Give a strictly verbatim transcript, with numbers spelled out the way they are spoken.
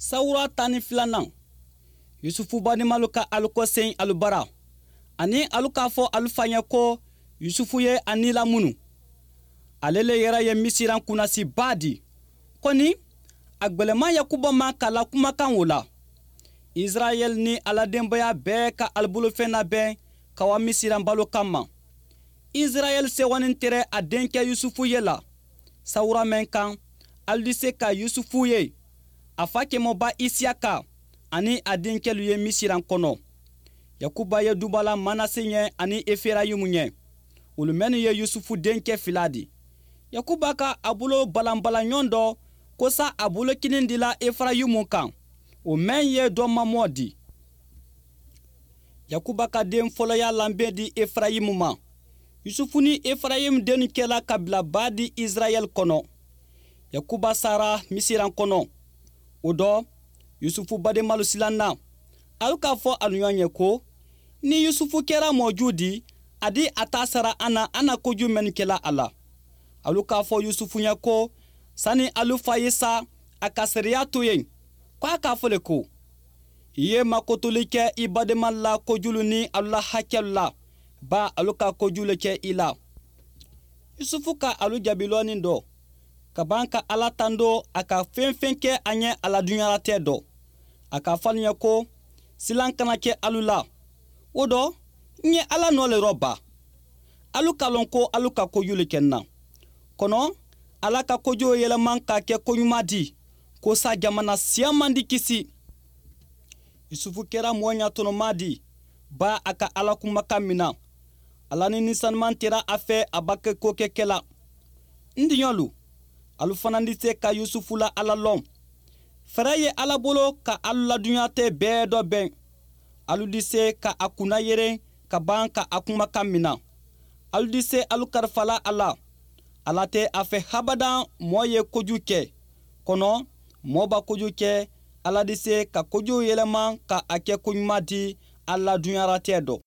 Sawura tan ni filanan, Yusufu badenmalu ka alu kɔsen alu bara ani alu k'a fɔ alu fa ɲɛ ko Yusufu ye a ni lamunu. Ale le yɛrɛ ye Misiran kunnasiba di. Kɔni a gwɛlɛman Yakuba ma k'a la kumakan o la. Israɛl ni a la denbaya bɛɛ ka alu bolofɛn labɛn ka wa Misiran balo kama. Israɛl sewanin tɛrɛ a denkɛ Yusufu ye la. Sawura mɛn kan, alu di se ka Yusufu ye a fa kɛmɔba Isiyaka ani a denkɛlu ye Misiran kɔnɔ. Yakuba ye duba la Manase ɲɛ ani Eferayimu ɲɛ, olu mɛnnu ye Yusufu denkɛ fila di. Yakuba ka a bolo balanbalan ɲɔgɔn dɔ ko sa a bolo kinin dila Eferayimu kan, o mɛn ye dɔ mamɔ di. Yakuba ka den fɔlɔya lanbɛn di Eferayimu ma. Yusufu ni Eferayimu dennu kɛla kabilaba di Israɛl kɔnɔ. Yakuba sara Misiran kɔnɔ. O dɔ, Yusufu badenmalu silanna. Alu k'a fɔ alu ɲɔgɔn ye ko ni Yusufu kɛra mɔju di, a di a ta sara an na an na koju mɛnnu kɛla a la. Alu k'a fɔ Yusufu ɲɛ ko sani alu fa ye sa, a ka seereya to yen ko a k'a fɔ le ko i ye makotoli kɛ i badenma la kojulu ni alu la hakɛlu la, ba alu ka koju le kɛ i la. Yusufu ka alu jaabi lɔɔni dɔ ka ban ka Ala tando a ka fɛn fɛn kɛ a ɲɛ a la dunuyalatɛ dɔ. A k'a fɔ alu ɲɛ ko silan kana kɛ alu la. O dɔ, n ye Ala nɔ le rɔ ba. Alu k'a lɔn ko alu ka koju le kɛ n na. Kɔnɔ Ala ka kojuw yɛlɛman ka kɛ koɲuman di, ko sa jamana siyaman di kisi. Yusufu kɛra mɔgɔ ɲatɔnɔma di, ba a ka Ala kumakan mina. Ala ni nisanuman tɛra a fɛ a ba kɛ ko kɛ kɛla. N diɲɔlu, alu fana di se ka Yusufu la Ala lɔn. Fɛɛrɛ ye Ala bolo ka alu la dunuya tɛ bɛɛ dɔ bɛn. Alu di se ka a kunna yeren ka ban ka a kumakan mina. Alu di se alu karifala a la. Ala tɛ a fɛ habadan mɔɔ ye koju kɛ. Kɔnɔ mɔɔ ba koju kɛ, Ala di se ka kojuw yɛlɛma ka a kɛ koɲuman di a la dunuyaratɛ dɔ.